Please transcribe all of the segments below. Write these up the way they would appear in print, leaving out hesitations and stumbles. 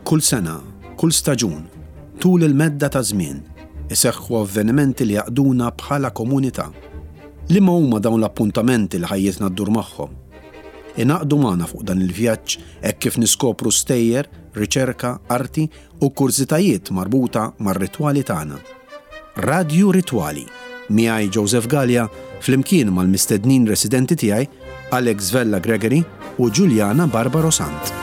Kull sena, kull staġun, tul il-medda ta' żmien, iseħħu avvenimenti li jgħaqqduna bħala komunità. Liema huma dawn l-appuntamenti li ħajjitna ddur magħhom? Ingħaqdu magħna fuq dan il-vjaġġ hekk kif niskopru stejjer, riċerka, arti u kurżitajiet marbuta mar-ritwali tagħna. Radju Ritwali, miegħi Joseph Galea flimkien mal-mistednin residenti tiegħi Alex Vella Gregory u Juliana Barbaro Sant.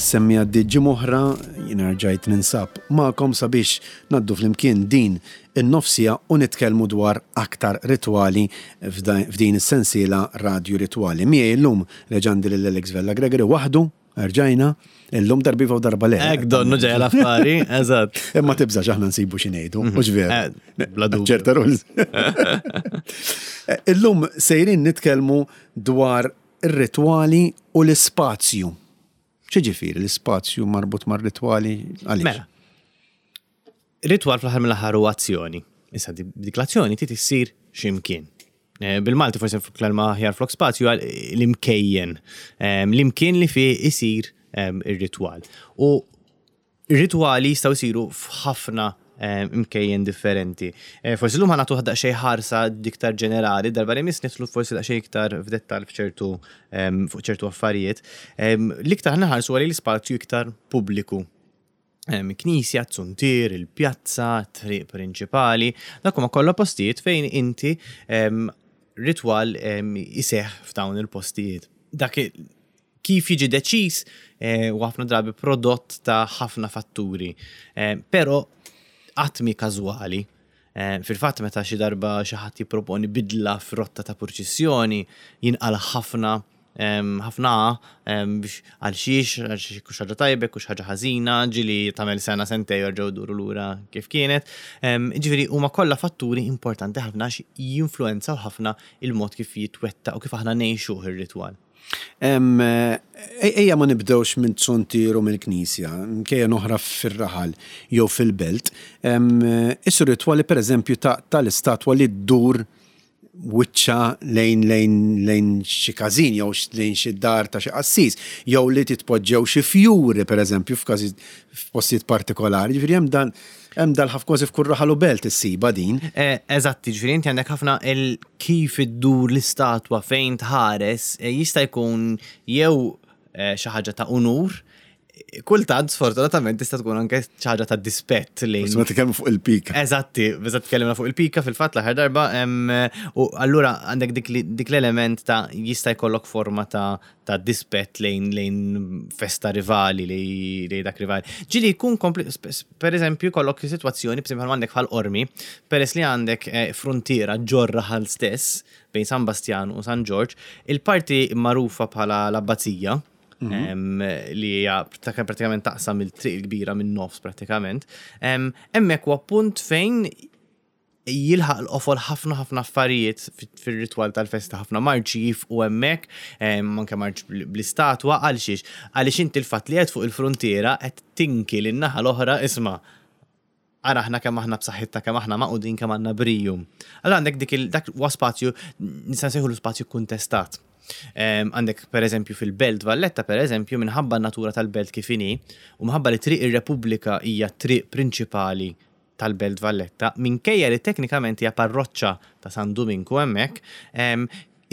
Semmi għaddiet ġimgħa oħra, jiena rġajt ninsab magħkom sabiex Ngħaddu flimkien din in-nofs siegħa u nitkellmu dwar aktar ritwali f'din is-sensiela Radju Ritwali. Miegħi llum reġa' għandi lil Alex Vella Gregory waħdu, erġajna, illum darba iva u darba le. Hekk donnu ġejja l-affari, eżatt. Imma tibżax aħna nsibu xi ngħidu, mhux veru. Eh, bla dubju. Ċerta rules. Illum sejrin nitkellmu dwar ir-ritwali u l-ispazju. X'jiġifieri l-ispazju marbut mar-ritwali għaliex? Mela. Ritwal fl-aħħar mill-aħħar huwa azzjoni. Issa dik l-azzjoni trid issir x'imkien. Eh, bil-Malti forsi kelma aħjar flok spazju għal l-imkejjen. Eh, l-imkien li fih isir eh, ir-ritwal. U Ritwali jistgħu jsiru f'ħafna imkejjen differenti. Forsi llum ħa nagħtu daqsxejn ħarsa iktar ġenerali, darba li jmiss nidħlu forsi daqsxejn iktar f'dettall f'ċertu fuq ċertu affarijiet. L-iktar ħa nħarsu għal l-ispazju iktar pubbliku. Knisja, zuntier, il-pjazza, triq prinċipali, dak huma kollha postijiet fejn inti ritwal iseħħ f'dawn il-postijiet. Dak Kif jiġi deċiż huwa ħafna drabi prodott ta' ħafna fatturi, però qatt mhi każwali. Fil-fatt meta xi darba xi ħadd jipproponi bidla f'rotta ta' purċissjoni, jinqala' ħafna ħafna biex għal xiex, għal xiex hux ħaġa tajba, jekk hux ħaġa ħażina, ġieli tagħmel sena sentejn u jerġgħu jduru lura kif kienet. Jiġifieri huma kollha fatturi importanti ħafna għax jinfluwenzaw ħafna il-mod kif jitwettaq u kif aħna ngħixuh ir-ritwal. Ejja ma nibdewx minn zuntier u mill-knisja, mkejjen oħra fir-raħal jew fil-belt. Isir ritwali pereżempju tal-istatwa li ddur wiċċha lejn lejn lejn xi każin jew lejn xi dar ta' xi qassis, jew li titpoġġew xi fjuri pereżempju f'każi f'postijiet partikolari. Ġifieri hemm dan hemm dal ħaf kważi f'kull raħal u belt issibha din. Eżatt, jiġifieri inti għandek ħafna il kif iddur l-istatwa fejn tħares jista' jkun jew xi ħaġa ta' unur, kultant sfortunatament tista' tkun anke xi ħaġa ta' dispett lejn. Forsi ma tkellmu fuq il-pika. Eżatti, eżatt tkellimna fuq il-pika fil-fatt l-aħħar darba u allura għandek dik l-element ta' jista' jkollok forma ta' ta' dispett lejn lejn festa rivali lejn dak rivali. Ġieli jkun per eżempju jkollok sitwazzjoni per eżempju għandek bħal Qormi, peress li għandek eh, fruntiera ġor raħal stess bejn San Bastjan u San Ġorġ, il-parti magħrufa bħala l-Abbazija, mhm. li hija pratikament taqsam il-triq il-kbira minn nofs pratikament, hemmhekk huwa punt fejn jilħaq l-qofol ħafna ħafna affarijiet fir-ritwal tal-festa, ħafna marċi jifqu hemmhekk, anke marċ bl-istatwa, għal xiex? Għaliex inti l-fatt li qed fuq il-fruntiera qed tinki lin-naħa l-oħra isma' ara aħna kemm aħna b'saħħitna, kemm aħna magħqudin, kemm għandna briju. Allura għandek dik il dak huwa spazju nista' nsejħulu spazju kkuntestat. Għandek per eżempju fil-Belt Valletta per eżempju minħabba n-natura tal-belt kif inhi u minħabba li Triq ir-Repubblika hija t-triq prinċipali tal-Belt Valletta, minkejja li teknikament hija parroċċa ta' San Duminku hemmhekk,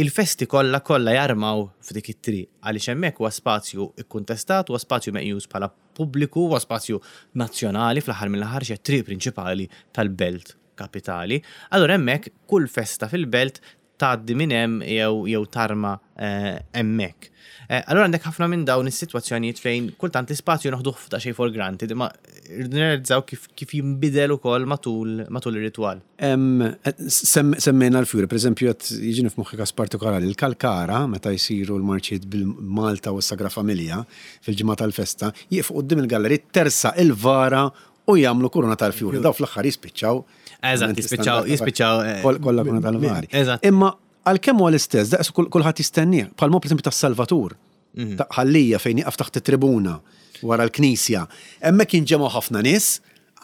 il-festi kollha kollha jarmaw f'dik it-triq għaliex hemmhekk huwa spazju kkuntestat, huwa spazju meqjus bħala pubbliku, huwa spazju nazzjonali fl-aħħar mill-aħħar x'hija t-triq prinċipali tal-belt kapitali. Allura hemmhekk kull festa fil-belt tgħaddi minn hemm jew jew tarma hemmhekk. Allura għandek ħafna minn dawn is-sitwazzjonijiet fejn kultant l-ispazju noħduh daqsxejn for granted, imma rridu nirrealizzaw kif kif jinbidel ukoll matul matul ir-ritwal. Semmejna l-fjuri, pereżempju qed jiġini f'moħħi każ partikolari, il-Kalkara meta jsiru l-marċijiet bil-Malta u s-Sagra Familja fil-ġimgħa tal-festa, jieqfu quddiem il-gallerij tersaq il-vara u jagħmlu kuruna tal-fjuri. Daw fl-aħħar jispiċċaw. Eżatt, jispiċċaw, jispiċċaw. Eh, kollha kuruna tal-vari. Eżatt. Imma għalkemm huwa l-istess, daqs kulħadd jistennieh, bħal mod pereżempju tas-Salvatur. Mhm. Ta' ħallija fejn jaqaf taħt it-tribuna. Wara l-knisja. Hemmhekk jinġemgħu ħafna nies,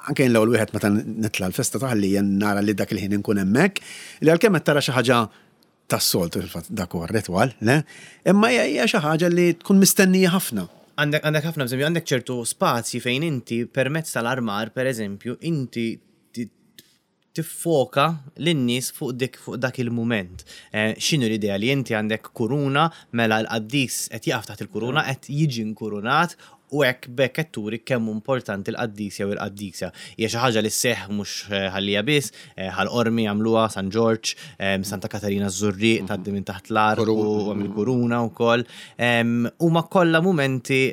anke jien l-ewwel wieħed meta nitla' l-festa ta' Ħal Lija nara li dak il-ħin inkun hemmhekk, li għalkemm qed tara xi ħaġa tas-soltu fil-fatt dak huwa r-ritwal, le? Imma hija xi ħaġa li tkun mistennija ħafna. Għandek għandek ħafna eżempju, għandek ċertu spazji fejn inti permezz tal-armar, pereżempju, inti tiffoka lin-nies fuq dik fuq dak il-mument. Eh, x'inhu l-idea li inti għandek kuruna mela l-qaddis qed jaqaf taħt il-kuruna qed jiġi nkurunat u hekk b'hekk qed turi kemm hu importanti l-qaddis jew il-qaddisa. Hija xi ħaġa li sseħħ mhux eh, Ħal Lija biss, eh, Ħal Qormi jagħmluha, San Ġorġ, Santa Katarina ż-Żurrieq tgħaddi minn taħt l-ark u mill-kuruna wkoll. Huma kollha mumenti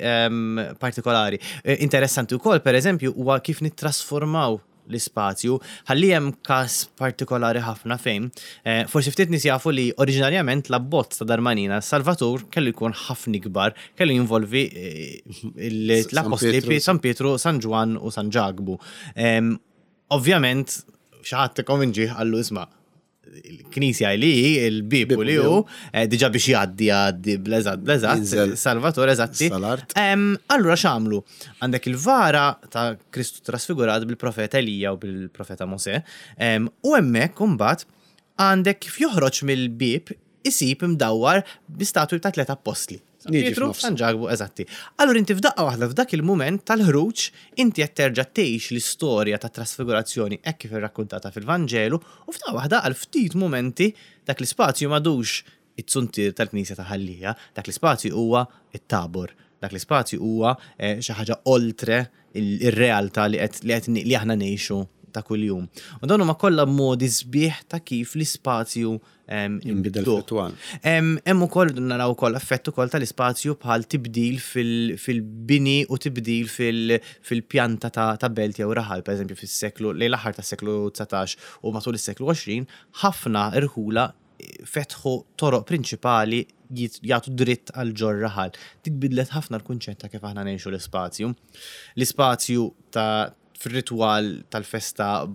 partikolari. Interessanti wkoll pereżempju huwa kif nittrasformaw l-ispazju, ħalli hemm każ partikolari ħafna fejn eh, forsi ftit nies jafu li oriġinarjament l-abbozz ta' Darmanina Salvatur kellu jkun ħafna ikbar, kellu jinvolvi eh, l-apostli San Pietru, San Ġwann u San Ġakbu. Ovvjament, xi ħadd ikkonvinġih qallu isma' il-knisja li hi, il-bib u li hu, eh, diġa biex jgħaddi jgħaddi bleżat bleżat, Salvatore eżatti. Allura x'għamlu? Għandek il-vara ta' Kristu trasfigurat bil-profeta Elija u bil-profeta Mose, u hemmhekk imbagħad għandek kif joħroġ mill-bib isib imdawwar bi statwi ta' tliet appostli. San Pietru, San Ġakbu, eżatti. Allura inti f'daqqa waħda f'dak il-mument tal-ħruġ inti qed terġa' tgħix l-istorja tat-trasfigurazzjoni hekk kif irrakkuntata fil-Vanġelu u f'daqqa waħda għal ftit mumenti dak l-ispazju m'għadux it-zuntier tal-Knisja ta' Ħal Lija, dak l-ispazju huwa t-Tabor, dak l-ispazju huwa xi ħaġa oltre ir-realtà li qed li qed li aħna ngħixu ta' kuljum. U dawn huma kollha modi sbieħ ta' kif l-ispazju Inbidel fil-twal. Hemm ukoll naraw ukoll effett ukoll tal-ispazju bħal tibdil fil-bini u tibdil fil-pjanta ta' belt jew raħal, pereżempju fis-seklu lejn l-aħħar tas-seklu 19 u matul is-seklu 20, ħafna rħula fetħu toroq prinċipali jagħtu dritt għal ġor raħal. Dik bidlet ħafna l-kunċett ta' kif aħna ngħixu l-ispazju. L-ispazju ta' fir-ritwal tal-festa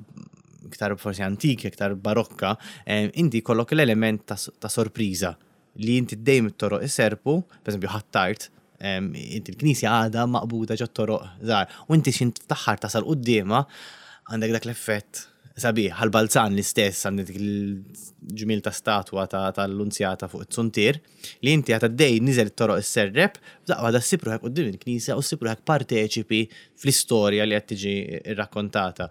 iktar forsi antik, iktar barokka, eh, inti jkollok l-element ta' sorpriża li inti dejjem it-toroq iserpu, per eżempju ħattart, inti l-knisja għadha maqbuda ġo toroq żgħar, u inti xint fl-aħħar tasal quddiemha għandek dak l-effett sabiħ, għal-balzan l-istess għandek dik il-ġmiel ta' statwa tal-lunzjata fuq it-zuntier, li inti għad għaddej niżel it-toroq isserrep, f'daqqa waħda ssib ruħek quddiem il-knisja u ssib ruħek parteċipi fl-istorja li qed tiġi rrakkontata.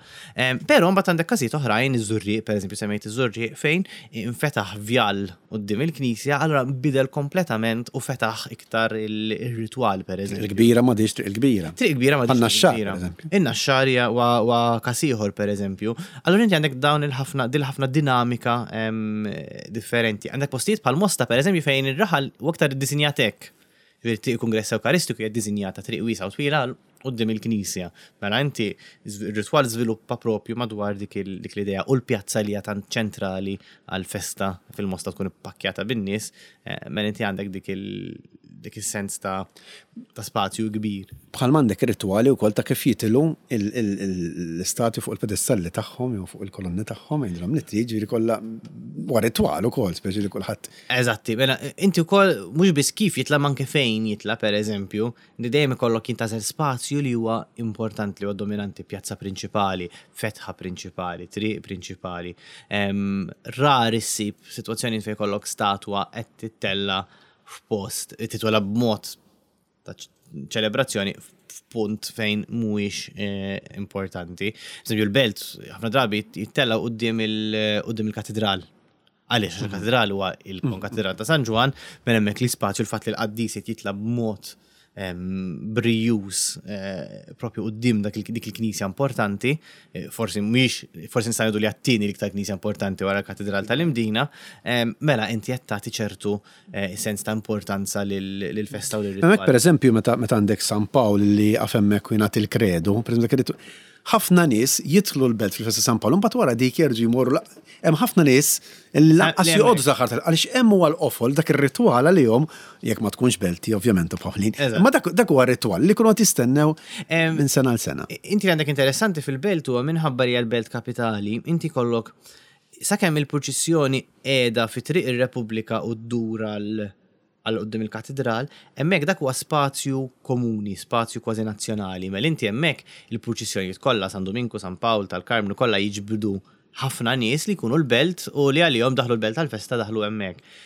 Però mbagħad għandek każijiet oħrajn, iż-Żurrieq, pereżempju semmejt iż-Żurrieq, fejn infetaħ vjal quddiem il-knisja, allura bidel kompletament u fetaħ iktar ir-ritwal pereżempju. Triq il-Kbira m'għadhiex Triq il-Kbira. Triq il-Kbira m'għadhiex Triq il-Kbira. In-Naxxar huwa każ ieħor pereżempju. Allura inti għandek dawn il-ħafna din ħafna dinamika differenti. Għandek postijiet bħal Mosta pereżempju fejn ir-raħal huwa aktar iddisinjat hekk. Ġifieri triq il-Kungress Ewkaristiku hija ddisinjata triq wiesgħa u twila quddiem il-knisja. Mela inti r-ritwal żviluppa propju madwar dik l-idea u l-pjazza li hija tant ċentrali għall-festa fil-Mosta tkun ippakkjata bin-nies, eh, mela inti għandek dik dik is-sens ta' ta' spazju kbir. Bħalma għandek ir-ritwali wkoll ta' kif jitilgħu l-istatwi fuq il-pedestalli tagħhom jew fuq il-kolonni tagħhom, għidilhom li trid, ġifieri kollha huwa ritwal ukoll, speċi li kulħadd. Eżatti, mela inti wkoll mhux biss kif jitla' ma anke fejn jitla' pereżempju, li dejjem ikollok jintgħażel spazju li huwa importanti, li huwa dominanti, pjazza prinċipali, fetħa prinċipali, triq prinċipali. Rari ssib sitwazzjonijiet fejn ikollok statwa qed tittella' f'post, titwela b'mod ta' ċelebrazzjoni f'punt fejn mhuwiex eh, importanti. Eżempju, l-belt ħafna drabi jittella quddiem il-katedral. Għaliex mhm. il-katedral huwa il-konkatedral ta' San Ġwan, mela hemmhekk l-ispazju l-fatt li l-qaddis qed jitla b'mod brijuż eh, propju quddiem dik il-knisja importanti, eh, forsi mhix forsi nista' ngħidu li għat-tieni l-iktar knisja importanti wara l-Katedral tal-Imdina, mela inti qed tagħti ċertu eh, sens ta' importanza lill-festa u lir-ritwal. Hemmhekk pereżempju meta għandek San Pawl li jaqaf hemmhekk u jingħati l-kredu, pereżempju ħafna nies jidħlu l-belt fil-festa San Pawl, mbagħad wara dik jerġgħu jmorru hemm ħafna nies li lanqas joqogħdu saħħar tal għaliex hemm huwa l-qofol dak ir-ritwal għalihom jekk ma tkunx belti ovvjament u Pawlin. Imma dak huwa ritwal li jkunu qed jistennew minn sena għal sena. Inti għandek interessanti fil-belt huwa minħabba li l-belt kapitali, inti kollok sakemm il-purċissjoni qiegħda fi Triq ir-Repubblika u ddur għal. għal quddiem il-katidral, hemmhekk dak huwa spazju komuni, spazju kważi nazzjonali. Mela inti hemmhekk il-purċissjonijiet kollha, San Duminku, San Pawl, tal-Karmnu kollha jiġbdu ħafna nies li jkunu l-belt u li għalihom daħlu l-belt għall-festa daħlu hemmhekk.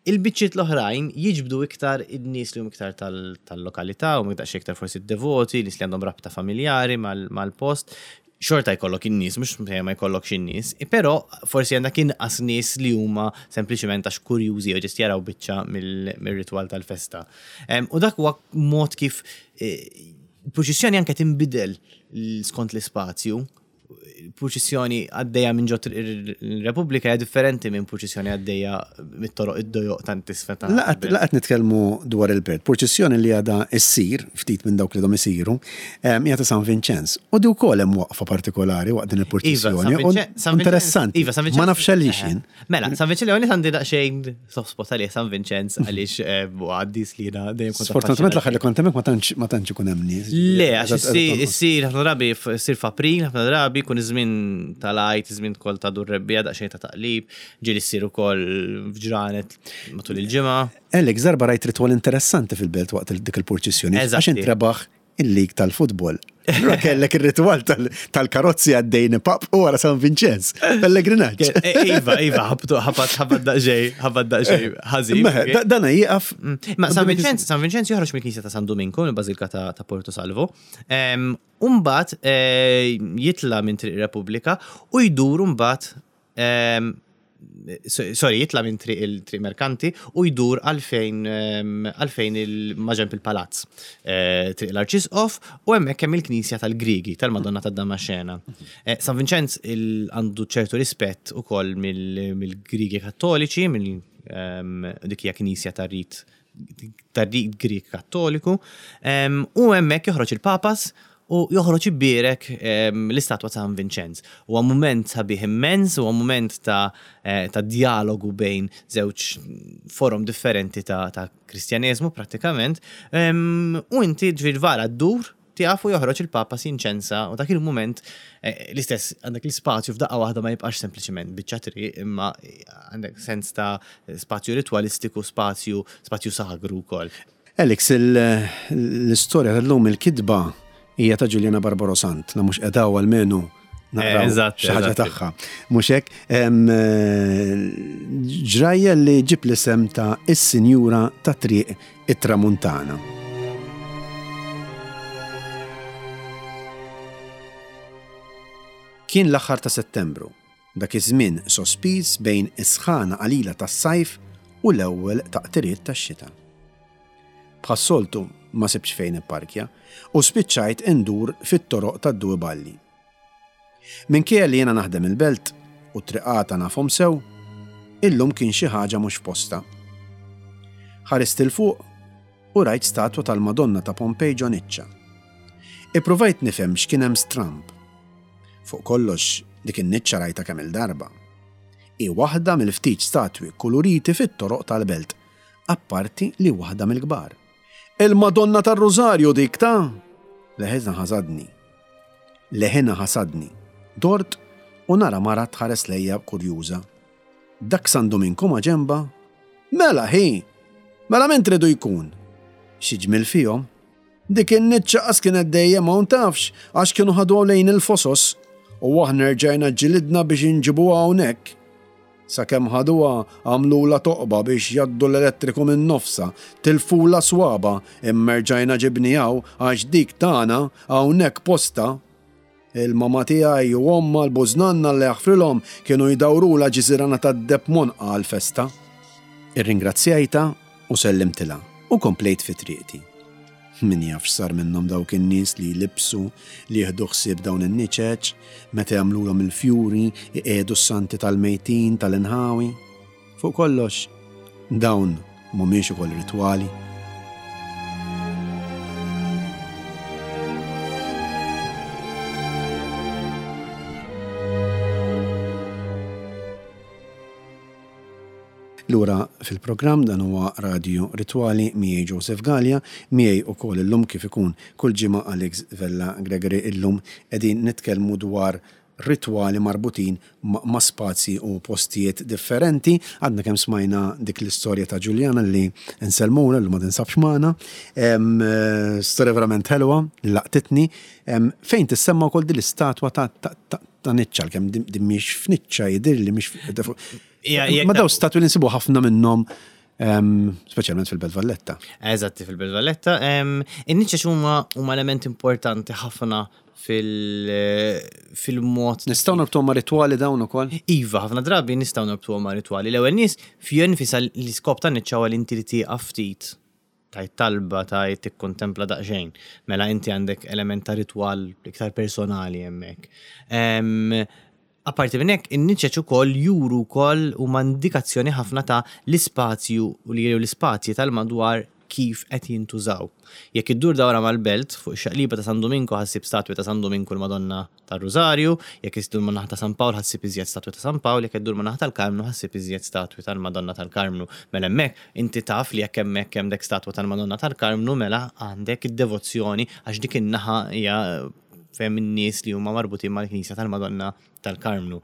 Il-biċċiet l-oħrajn jiġbdu iktar in-nies li huma iktar tal-lokalità, huma daqsxejn iktar forsi devoti, nies li għandhom rabta familjari mal-post. Xorta jkollok in-nies, mhux ma jkollokx in-nies, però forsi għandek inqas nies li huma sempliċement għax kurjużi jew ġest jaraw biċċa mir-ritwal tal-festa. U dak huwa mod kif eh, purċissjoni anke tinbidel skont l-ispazju purċissjoni għaddejja minn ġot il-Repubblika hija differenti minn purċissjoni għaddejja mit-toroq id-dojoq tant isfel ta' Laqgħet nitkellmu dwar il-belt. Purċissjoni li għadha ssir ftit minn dawk li għadhom isiru hija ta' San Vinċenz. U di wkoll hemm waqfa partikolari waqt din il-purċissjoni. Iva, Interessanti. Iva, San Vinċenz. Ma nafx għaliex jien. Mela, San Vinċenz li għandi daqsxejn soft spot għalih San Vinċenz għaliex eh, għaddis li jiena dejjem kont. Sfortunatament l-aħħar li kont hemmhekk ma tantx ma tantx ikun hemm nies. Le, għax issir ħafna drabi ssir f'April, ħafna drabi jkun iż-żmien tal-Għid, iż-żmien ukoll ta' dur rebbiegħa daqsxejn ta' taqlib, ġieli ssir ukoll f'ġranet matul il-ġimgħa. Alex, darba rajt ritwal interessanti fil-belt waqt dik il-purċissjoni. Għax intrebaħ il-lig tal-futbol. Allura kellek ir-ritwal tal-karozzi għaddejn pap u wara San Vincenz, pellegrinaġġ. Eh, eh, iva, iva, ħabtu, ħabat, ħabat daqxej, ħabat daqxej, ħażin. Dana jieqaf. Mm. Ma San Vincenz, San Vincenz joħroġ mill-Knisja ta' San Dominku, mill-Bażilka ta' Porto Salvo. Umbat eh, jitla minn Triq Repubblika u jdur umbat sorry, jitla minn triq il-triq merkanti u jdur għalfejn għalfejn il-maġenb il-palazz. Eh, triq l-Arċisqof u hemmhekk hemm il-Knisja tal-Griegi tal-Madonna tad-Damaxena. Eh, San Vinċenz għandu ċertu rispett ukoll mill-Griegi Kattoliċi, mill dik hija knisja tar-rit tar-rit Grieg Kattoliku, u hemmhekk joħroġ il-Papas u joħroġ ibierek l-istatwa ta' San Vinċenz. Huwa mument sabiħ immens, huwa mument ta' eh, ta' dialogu bejn żewġ forom differenti ta' ta' Kristjaneżmu prattikament. U inti ġifieri vara ddur Tieqaf u joħroġ il-Papa jinċensa u dak il-mument eh, l-istess għandek l-ispazju f'daqqa waħda ma jibqax sempliċement biċċa triq imma għandek sens ta' spazju ritwalistiku, spazju spazju sagru wkoll. Alex, l-istorja tal-lum il-kitba hija ta' Juliana Barbaro Sant, la mhux qedaw almenu naqraw eh, xi ħaġa tagħha. Mhux hekk, eh, ġrajja li ġib l-isem ta' is-Sinjura ta' Triq it-Tramuntana. Kien l-aħħar ta' Settembru, dak iż-żmien sospiż bejn is-sħana qalila tas-sajf u l-ewwel taqtiriet tax-xita. Bħas-soltu ma sibtx fejn nipparkja u spiċċajt indur fit-toroq tad-Due Balli. Minkejja li jiena naħdem il-Belt u t-triqata nafhom sew, illum kien xi ħaġa mhux f'postha. Ħarist 'il fuq u rajt statwa tal-Madonna ta' Pompej ġo niċċa. Ippruvajt nifhem x'kien hemm stramb. Fuq kollox dik in-niċċa rajtha kemm-il darba. Hi waħda mill-ftit statwi kkuluriti fit-toroq tal-Belt, apparti li waħda mill-kbar. Il-Madonna tar-Rużarju dik ta'! Leħinha ħasadni. Leħinha ħasadni. Dort u nara mara tħares lejja kurjuża. Dak San Duminku ma' ġenbha? Mela ħi! Mela min tridu jkun? Xi ġmiel fihom! Dik in-niċċa qas kienet dejjem hawn tafx għax kienu ħaduha lejn il-Fosos u aħna rġajna ġġilidna biex inġibuha hawnhekk. Sakemm ħaduha għamlulha toqba biex jgħaddu l-elettriku minn nofsha, tilfulha swaba imma rġajna ġibniha hawn għax dik tagħna hawnhekk postha. Il-mama tiegħi u ommha l-bużnanna Alla jaħfrilhom kienu jdawrulha ġiżirana tad-deheb m'għonqha għall-festa. Irringrazzjajtha u sellimtilha u komplejt fi triqti. Min jaf x'sar minnhom dawk in-nies li jlibbsu, li jieħdu ħsieb dawn in-niċeċ, meta jagħmlulhom il-fjuri, iqiegħdu s-santi tal-mejtin tal-inħawi. Fuq kollox, dawn mhumiex ukoll ritwali? Lura fil-programm dan huwa Radju Ritwali miegħi Joseph Galea, miegħi ukoll illum kif ikun kull ġimgħa Alex Vella Gregory illum qegħdin nitkellmu dwar ritwali marbutin ma' spazji u postijiet differenti. Għadna kemm smajna dik l-istorja ta' Ġuljana li nsellmulha li ma tinsabx magħna. Storja verament ħelwa li laqtitni. Fejn tissemma wkoll din l-istatwa ta' niċċa, għalkemm din mhix f'niċċa jidhirli mhix Ma daw statwi li nsibu ħafna minnhom speċjalment fil-Belt Valletta. Eżatti fil-Belt Valletta. In-niċċa huma huma element importanti ħafna fil-mod. Nistgħu norbtuhom ma' ritwali dawn ukoll? Iva, ħafna drabi nistgħu norbtuhom ma' ritwali. L-ewwel nies fija nfisha l-iskop tan-niċċa huwa li inti li tieqaf ftit tajt talba, tajt tikkontempla daqsxejn. Mela inti għandek element ta' ritwal iktar personali hemmhekk. Apparti minn hekk, in-niċeċ ukoll juru wkoll huma indikazzjoni ħafna ta' l-ispazju u li l-ispazji tal-madwar kif qed jintużaw. Jekk iddur dawra mal-belt, fuq ix-xaqliba ta' San Duminku ħa ssib statwi ta' San Duminku l-Madonna tar-Rużarju, jekk iddur man-naħa ta' San Pawl ħa ssib iżjed statwi ta' San Pawl, jekk iddur man-naħa tal-Karmnu ħa ssib iżjed statwi tal-Madonna tal-Karmnu. Mela hemmhekk inti taf li jekk hemmhekk hemm dek statwa tal-Madonna tal-Karmnu mela għandek id-devozzjoni għax dik in-naħa hija fejn in-nies li huma marbutin mal-Knisja tal-Madonna tal-Karmnu.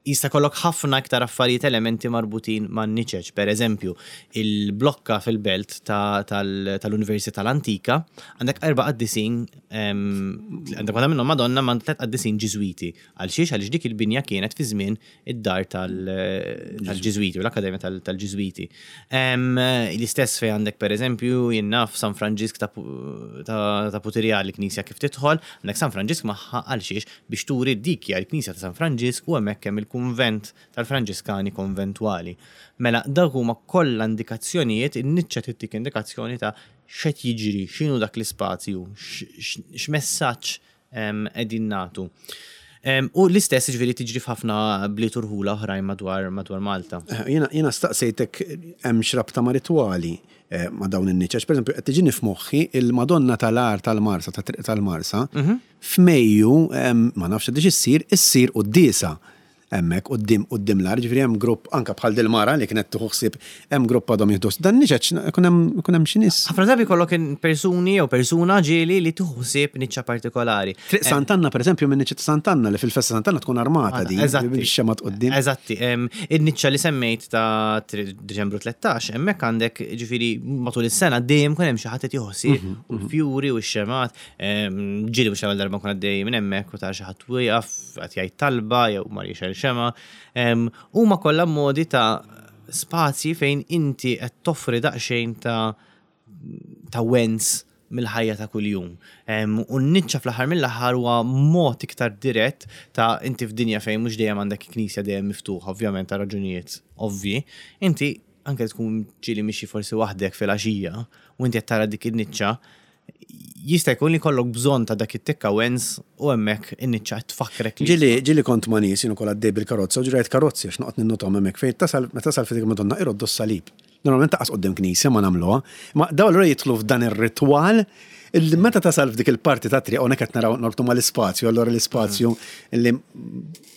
Jista' jkollok ħafna iktar affarijiet elementi marbutin man-niċeċ. Per eżempju, il-blokka fil-belt tal-Università l-Antika għandek erba' qaddisin, għandek waħda minnhom Madonna ma' tliet qaddisin Ġiżwiti. Għal xiex? Għaliex dik il-binja kienet fi żmien id-dar tal-Ġiżwiti u l-Akkademja tal-Ġiżwiti. L-istess fejn għandek pereżempju jien naf San Franġisk ta' Putirjal il-knisja kif tidħol, għandek San Franġisk magħha għal xiex biex turi dik hija l-knisja ta' San Franġisk u hemmhekk hemm il-kunvent tal-Franġiskani Konventwali. Mela dawk huma kollha indikazzjonijiet, in-niċċa tittik indikazzjoni ta' x'qed jiġri, x'inhu dak l-ispazju, x'messaġġ qegħdin nagħtu. U l-istess ġifieri tiġri f'ħafna bliet u rħula oħrajn madwar madwar Malta. Eh, jiena staqsejtek hemm x'rabta ma' ritwali eh, ma' dawn in-niċeċ. Pereżempju, qed tiġini f'moħħi il-Madonna tal-Għar tal-Marsa, ta' Triq tal-Marsa, mhm. f'Mejju ma nafx qed issir, issir quddiesa hemmhekk quddiem quddiem l-għar, jiġifieri hemm grupp anke bħal dil-mara li kienet tieħu ħsieb hemm grupp għadhom jieħdu dan niċeċ ikun hemm ikun hemm xi nies. Ħafna drabi jkollok persuni jew persuna ġieli li tieħu ħsieb niċċa partikolari. Triq Sant'Anna pereżempju minn niċċa ta' Sant'Anna li fil-festa Sant'Anna tkun armata din. Eżatti. Bix-xemgħat quddiem. Eżatti. In-niċċa li semmejt ta' Diċembru 13 hemmhekk għandek ġifieri matul is-sena dejjem ikun hemm xi ħadd qed jieħu ħsieb mhm, u mhm. l-fjuri u x-xemgħat. Ġieli mhux l-ewwel darba nkun għaddej minn hemmhekk u tara xi ħadd wieqaf qed jgħid talba jew mar jixgħel xemgħa. Huma kollha modi ta' spazji fejn inti qed toffri daqsxejn ta' ta' wens mill-ħajja ta' kuljum. U n-niċċa fl-aħħar mill-aħħar huwa mod iktar dirett ta' inti f'dinja fejn mhux dejjem għandek knisja dejjem miftuħa, ovvjament ta' raġunijiet ovvji, inti anke tkun ġieli mixi forsi waħdek fil-għaxija u inti qed tara dik in-niċċa, jista' jkun li jkollok bżonn ta' dak it-tikka wens u hemmhekk in-niċċa qed tfakkrek li. Ġieli, ġieli kont ma' nies jien ukoll għaddej bil-karozza u ġieli rajt karozzi għax noqgħod ninnothom hemmhekk fejn tasal, meta tasal fi Triq Madonna iroddu s-salib. Normalment taqas quddiem knisja ma nagħmluha, imma dawn allura jidħlu f'dan ir-ritwal illi meta tasal f'dik il-parti tat-triq hawnhekk qed naraw norbtu mal-ispazju, allura l-ispazju li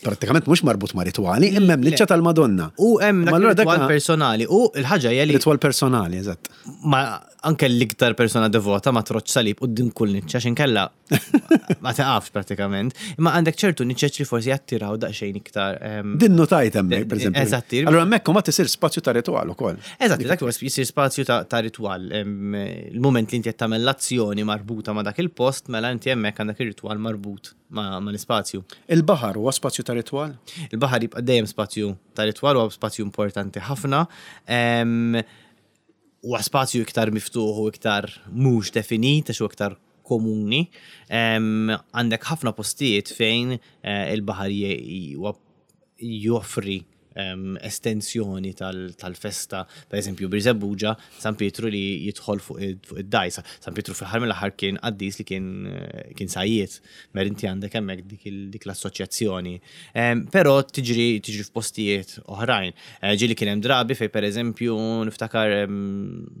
prattikament mhux marbut ma' ritwali, imma hemm niċċa tal-Madonna. U hemm dak ritwal personali u l-ħaġa hija li. Ritwal personali, eżatt. Ma anke l-iktar persona devota ma troċ salib quddiem kull niċċa x'inkella ma taqafx pratikament. Imma għandek ċertu niċċeċ li forsi jattiraw daqsxejn iktar. Ehm, Din notajt hemmhekk, pereżempju. Eżatti. Allura hemmhekk ma tisir spazju ta' ritwal ukoll. Eżatti, dak jisir spazju ta' ritwal. Ehm, il-moment li inti qed tagħmel l-azzjoni marbuta ma' dak il-post, mela inti hemmhekk għandek ir-ritwal marbut ma' l-ispazju. Il-baħar huwa spazju ta' ritwal? Il-baħar jibqa' dejjem spazju ta' ritwal huwa spazju importanti ħafna. Ehm, huwa spazju iktar miftuħ u iktar mhux definit għax huwa iktar komuni. Għandek ħafna postijiet fejn eh, il-baħar joffri estensjoni tal-festa, per eżempju Birżebbuġa, San Pietru li jidħol fuq id-dajsa. San Pietru fl-aħħar mill-aħħar kien qaddis li kien eh, kien sajjiet, mer inti għandek hemmhekk dik l-assoċjazzjoni. Però tiġri tiġri f'postijiet oħrajn. Eh, ġieli kien hemm drabi fejn pereżempju niftakar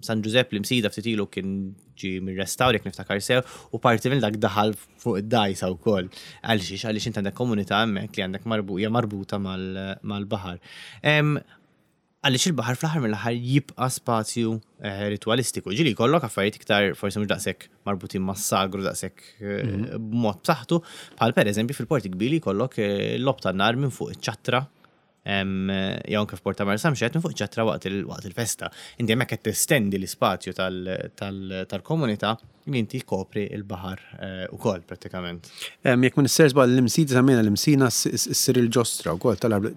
San Ġużepp l-Imsida ftit ilu kien ġi mir-restawr jekk niftakar sew u parti minn dak daħal fuq id-dajsa wkoll. Għaliex għaliex int għandek komunità hemmhekk li għandek hija marbuta mal-baħar. Għaliex il-baħar fl-aħħar mill-aħħar jibqa' spazju eh, ritwalistiku. Ġieli jkollok affarijiet iktar forsi mhux daqshekk marbutin mas-sagru daqshekk eh, mhm. b'mod b'saħħtu, bħal pereżempju fil-Port Kbir jkollok eh, l-lob tan-nar minn fuq iċ-ċattra jew anke f'Port ta' Marsamxett minn fuq ċattra waqt il-festa. Inti hemmhekk qed testendi l-ispazju tal-komunità li inti jkopri l-baħar eh, ukoll prattikament. Jekk ma nissejjer żball l-imsida semmejna l-imsina ssir il-ġostra wkoll tal-arblu.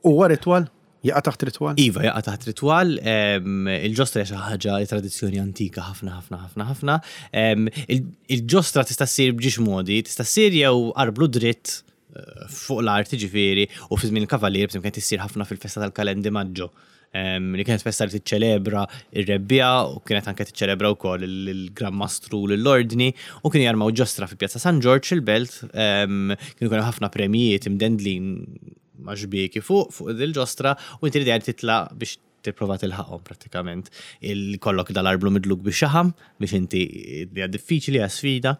Huwa ritwal? Jaqa' taħt ritwal? Iva, jaqa' taħt ritwal. Il-ġostra hija xi ħaġa tradizzjoni antika ħafna ħafna ħafna ħafna. Il-ġostra tista' ssir b'ġiex modi, tista' ssir jew arblu dritt eh, fuq l-art ġifieri u fi żmien il-kavalier b'eżempju kienet issir ħafna fil-festa tal-Kalendi Maggio li kienet festa li tiċċelebra ir-rebbiegħa u kienet anke tiċċelebra wkoll il-Gran Mastru lill-Ordni u kienu jarmaw ġostra fi Pjazza San Ġorġ il-Belt, kienu jkun hemm ħafna premjijiet imdendlin ma' xbieki fuq fuq il-ġostra u inti l-idea li titla' biex tipprova tilħaqhom prattikament. Ikollok dal-arblu midluk bix-xaħam biex inti hija diffiċli, hija sfida.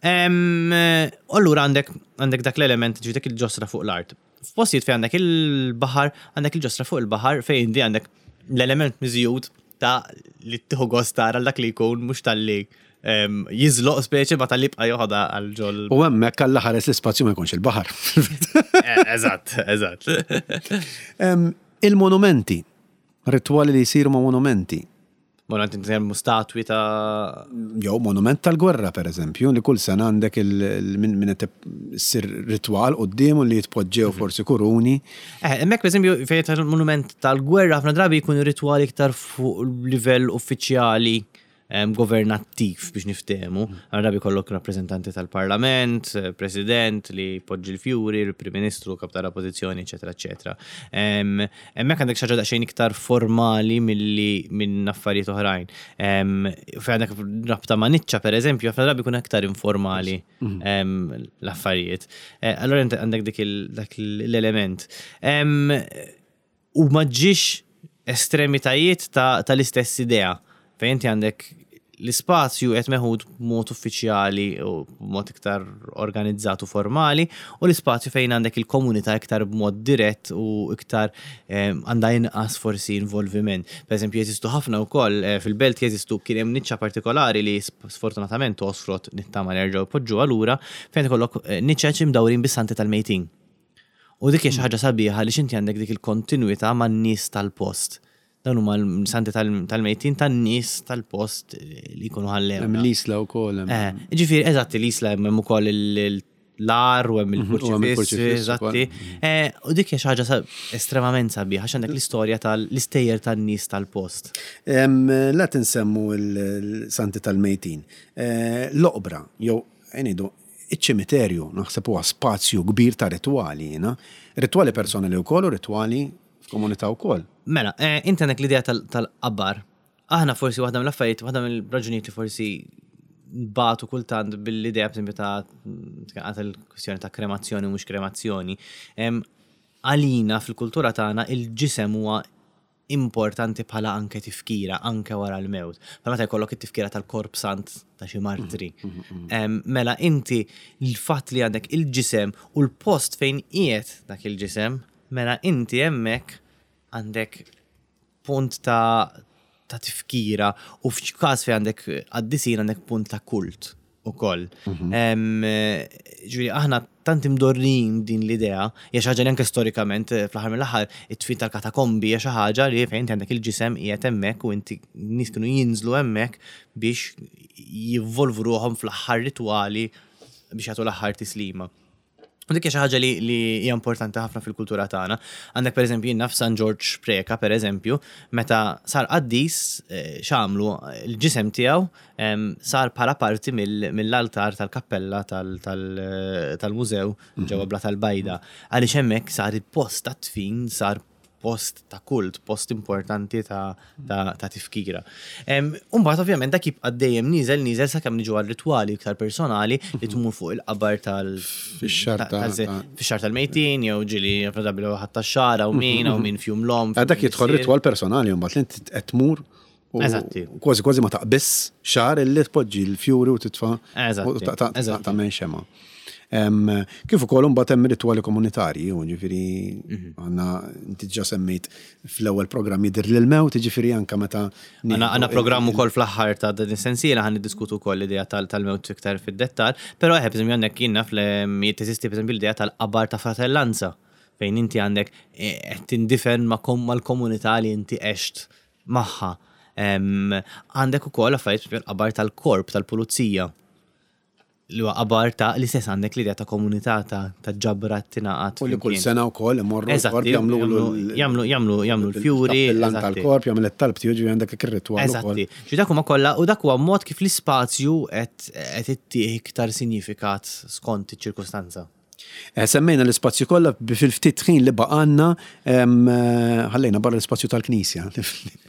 U allura għandek għandek dak l-element, ġifieri dik il-ġostra fuq l-art. F'postijiet fejn għandek il-baħar, għandek il-ġostra fuq il-baħar fejn inti għandek l-element miżjud ta' li tieħu gost tara dak li jkun mhux talli ehm, jiżloq speċi ma tal-li jibqa' joħodha għal ġol. U hemmhekk alla ħares l-ispazju ma jkunx il-baħar. Eh, eżatt, eżatt. Ehm, il-monumenti, ritwali li jsiru ma' monumenti. Monument nitkellmu statwi ta' Jew monument tal-gwerra pereżempju, li kull sena għandek minn min qed issir ritwal quddiemu li jitpoġġew mhm. forsi kuruni. Eh, hemmhekk pereżempju fejn tal-monument tal-gwerra ħafna drabi jkun ritwal iktar fuq livell uffiċjali governattiv biex niftehmu. Ħafna drabi jkollok rappreżentanti tal-Parlament, eh, President li jpoġġi l-fjuri, il-Prim Ministru, kap tal-Oppożizzjoni, eċetera, eċetera. Hemmhekk għandek xi ħaġa daqsxejn iktar formali milli minn affarijiet oħrajn. Fejn għandek rabta ma' niċċa pereżempju, ħafna drabi jkun aktar informali mhm. l-affarijiet. Eh, allora għandek dik l-element. U ma ġiex estremitajiet tal-istess idea fejn inti għandek l-ispazju qed meħud b'mod uffiċjali u b'mod iktar organizzat u formali u l-ispazju fejn għandek il-komunità iktar b'mod dirett u iktar eh, għandha inqas forsi involviment. Per eżempju, jeżistu ħafna wkoll eh, fil-belt jeżistu kien hemm niċċa partikolari li sfortunatament osfrot nittama li jerġgħu jpoġġuha lura fejn ikollok eh, niċeċ imdawrin bis-santi tal-mejtin. U dik hija xi ħaġa sabiħa għaliex inti għandek dik il-kontinwità man-nies tal-post. Dawn huma l-santi tal-mejtin tan-nies tal-post li jkunu ħallew. Hemm l-Isla wkoll. Eh, ġifieri eżatt l-Isla hemm ukoll l-ar u hemm mhm, il-kurċifiss, eżatti. Eh, u dik hija xi ħaġa estremament sabiħa għax għandek l-istorja tal-istejjer tan-nies tal-post. La tinsemmu l-santi tal-mejtin. Eh, l-oqbra jew ngħidu Iċ-ċimiterju naħseb huwa spazju kbir ta' ritwali jiena. Ritwali personali wkoll u ritwali f'komunità wkoll. Mela, eh, inti għandek l-idea tal-qabar. Aħna forsi waħda mill-affarijiet, waħda mill-raġunijiet li forsi nbatu kultant bil-idea b'eżempju ta' għat il-kwistjoni ta' kremazzjoni u mhux kremazzjoni. Għalina fil-kultura tagħna il-ġisem huwa importanti bħala anke tifkira, anke wara l-mewt. Bħal meta jkollok it-tifkira tal-korp sant ta' xi martri. Mm, mm, mm, mela inti l-fatt li għandek il-ġisem u l-post fejn qiegħed dak il-ġisem, mela inti hemmhekk għandek punt ta' ta' tifkira u f'każ fejn għandek qaddisin għandek punt ta' kult ukoll. Mhm. Ġifieri aħna tant imdorrin din l-idea, hija xi ħaġa li anke storikament eh, fl-aħħar mill-aħħar it-tfin tal-katakombi hija xi ħaġa li fejn inti għandek il-ġisem qiegħed hemmhekk u inti nies kienu jinżlu hemmhekk biex jivvolvu ruħhom fl-aħħar ritwali biex jagħtu l-aħħar tislima. U dik hija xi ħaġa li li hija importanti ħafna fil-kultura tagħna. Għandek pereżempju jien naf San Ġorġ Preca pereżempju, meta sar qaddis eh, x'għamlu l-ġisem tiegħu em, sar bħala parti mill-altar tal-kappella tal-mużew ġewwa Bla tal-Bajda. Għaliex hemmhekk sar il-post tat-tfin sar post ta' kult, post importanti ta', ta, ta tifkira. Umbagħad ovvjament dak jibqa' dejjem nieżel nieżel sakemm niġu għal ritwali iktar personali li tmur fuq il-qabar tal fix-xahar tal-mejtin jew ġieli probabbli ħadd tax-xahar hawn min hawn min fjum l-omm. Eh, dak jidħol ritwal personali mbagħad li inti qed tmur Eżatti. Kważi kważi ma taqbiss xahar illi tpoġġi l-fjuri u titfa' u tagħmel xema. Kif ukoll imbagħad hemm ritwali komunitarji, u ġifieri mhm. għandna inti ġa semmejt fl-ewwel programm jidher lil mewt, ġifieri anke meta Għandna programm ukoll fl-aħħar ta' din is-sensiela ħan niddiskutu wkoll l-idea tal-mewt iktar fid-dettall, però eħe pereżempju għandek jien naf li teżisti pereżempju l-idea tal-qabar ta' fratellanza fejn inti għandek eh, qed tindifen mal-komunità li inti għext magħha. Għandek ukoll affarijiet l-qabar tal-korp tal-pulizija li huwa qabar ta' l-istess għandek l-idea ta' komunità ta' ta' ġabra tingħaqad. U li kull sena wkoll imorru l-korp jagħmlu jagħmlu jagħmlu jagħmlu l-fjuri. L tal-korp jagħmel it-talb tiegħu ġifieri għandek ir-ritwal. Eżatti. Ġi dak huma kollha u dak huwa mod kif l-ispazju qed qed ittih iktar sinjifikat skont iċ-ċirkustanza. Eh, semmejna l-ispazju kollha fil-ftit ħin li baqanna eh, ħallejna barra l-ispazju tal-Knisja.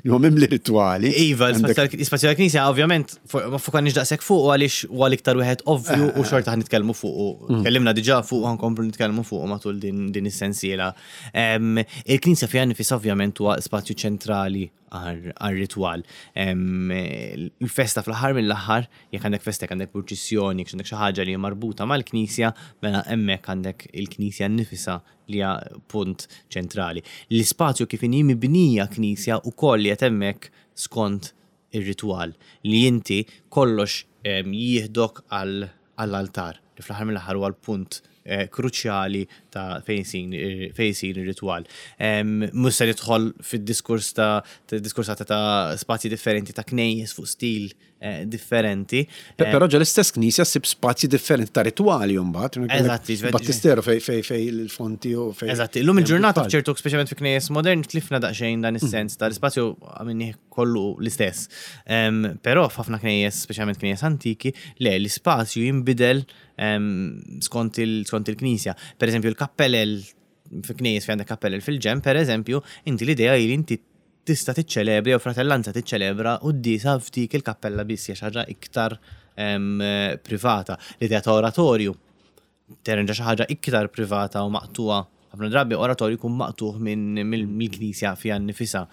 Li huwa mimli ritwali. Iva, l-ispazju tal-Knisja ovvjament ma fukanniex daqshekk fuq għaliex huwa l-iktar wieħed ovvju u xorta ħan nitkellmu fuq. Mm. Tkellimna diġà fuq ħankomplu nitkellmu fuq matul din is-sensiela. Il-Knisja fiha nifisha ovvjament huwa spazju ċentrali għar-ritwal. Il-festa fl-aħħar mill-aħħar, jekk għandek festa, jekk għandek purċissjoni, jekk għandek xi ħaġa li hija marbuta mal-knisja, mela hemmhekk għandek il-knisja nnifisha li hija punt ċentrali. L-ispazju kif inhi mibnija knisja wkoll qiegħed hemmhekk skont ir-ritwal li inti kollox jieħdok għall-altar, li fl-aħħar mill-aħħar huwa l-punt kruċjali ta' fejn isir ir-ritwal. Mhux se nidħol fid-diskors ta' diskursata ta' spazji differenti ta' knejjes fuq stil eh, differenti. Però ġo l-istess knisja ssib spazji differenti ta' ritwali mbagħad. Eżatti, Battisteru fej fej fej il-fonti u fej. Eżatti, illum il-ġurnata f'ċertu speċjalment fi knejjes modern tlifna daqsxejn dan is-sens tal-ispazju għamilnih kollu l-istess. Però f'ħafna knejjes, speċjalment knejjes antiki, le l-ispazju jinbidel skont il-knisja. Per eżempju, il-kappellel fi knejjes fi għandek kappellel fil-ġenb, per eżempju, inti l-idea hi li inti tista' tiċċelebra jew fratellanza tiċċelebra quddiesa f'dik il-kappella biss hija xi ħaġa iktar privata. L-idea ta' oratorju terġa' xi ħaġa iktar privata u maqtugħa. Ħafna drabi oratorju jkun maqtugħ mill-knisja fiha nnifisha.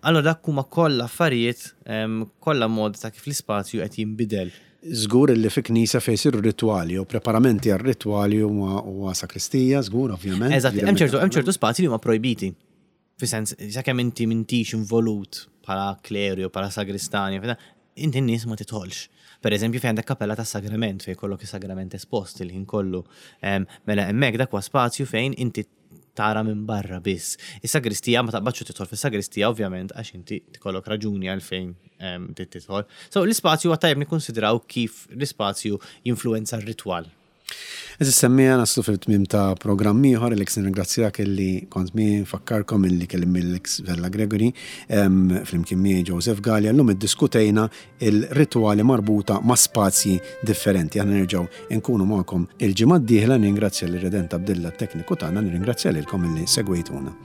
Allura dak huma kollha affarijiet, kollha modi ta' kif l-ispazju qed jinbidel. Żgur illi fi knisja fejn isiru ritwali jew preparamenti għar-ritwali huma huwa sakristija, żgur ovvjament. Eżatt, hemm ċertu hemm ċertu spazji li huma projbiti. Fi sens, sakemm inti m'intix involut bħala kleru jew bħala sagristan, inti n-nies ma tidħolx. Per eżempju fejn għandek kappella tas-sagrament fejn jkollok is-sagrament espost il-ħin kollu. Mela hemmhekk dak huwa spazju fejn inti tara minn barra biss. Is-sagristija ma taqbadx u tidħol fis-sagristija ovvjament għax inti tkollok raġuni għalfejn ehm, trid tidħol. So l-ispazju huwa tajjeb nikkonsidraw kif l-ispazju jinfluwenza r-ritwal. Eżis semmija naslu fil-tmim ta' programm ieħor li nirringrazzjak illi kont mi nfakkarkom illi kellim mill-ex Vella Gregory ehm, flimkien miegħi Joseph Gallia llum iddiskutejna il-ritwali marbuta ma' spazji differenti. Aħna nerġgħu nkunu magħkom il-ġimgħa d-dieħla, nirringrazzja lil Redent Abdilla t-tekniku tagħna, nirringrazzja lilkom illi segwejtuna.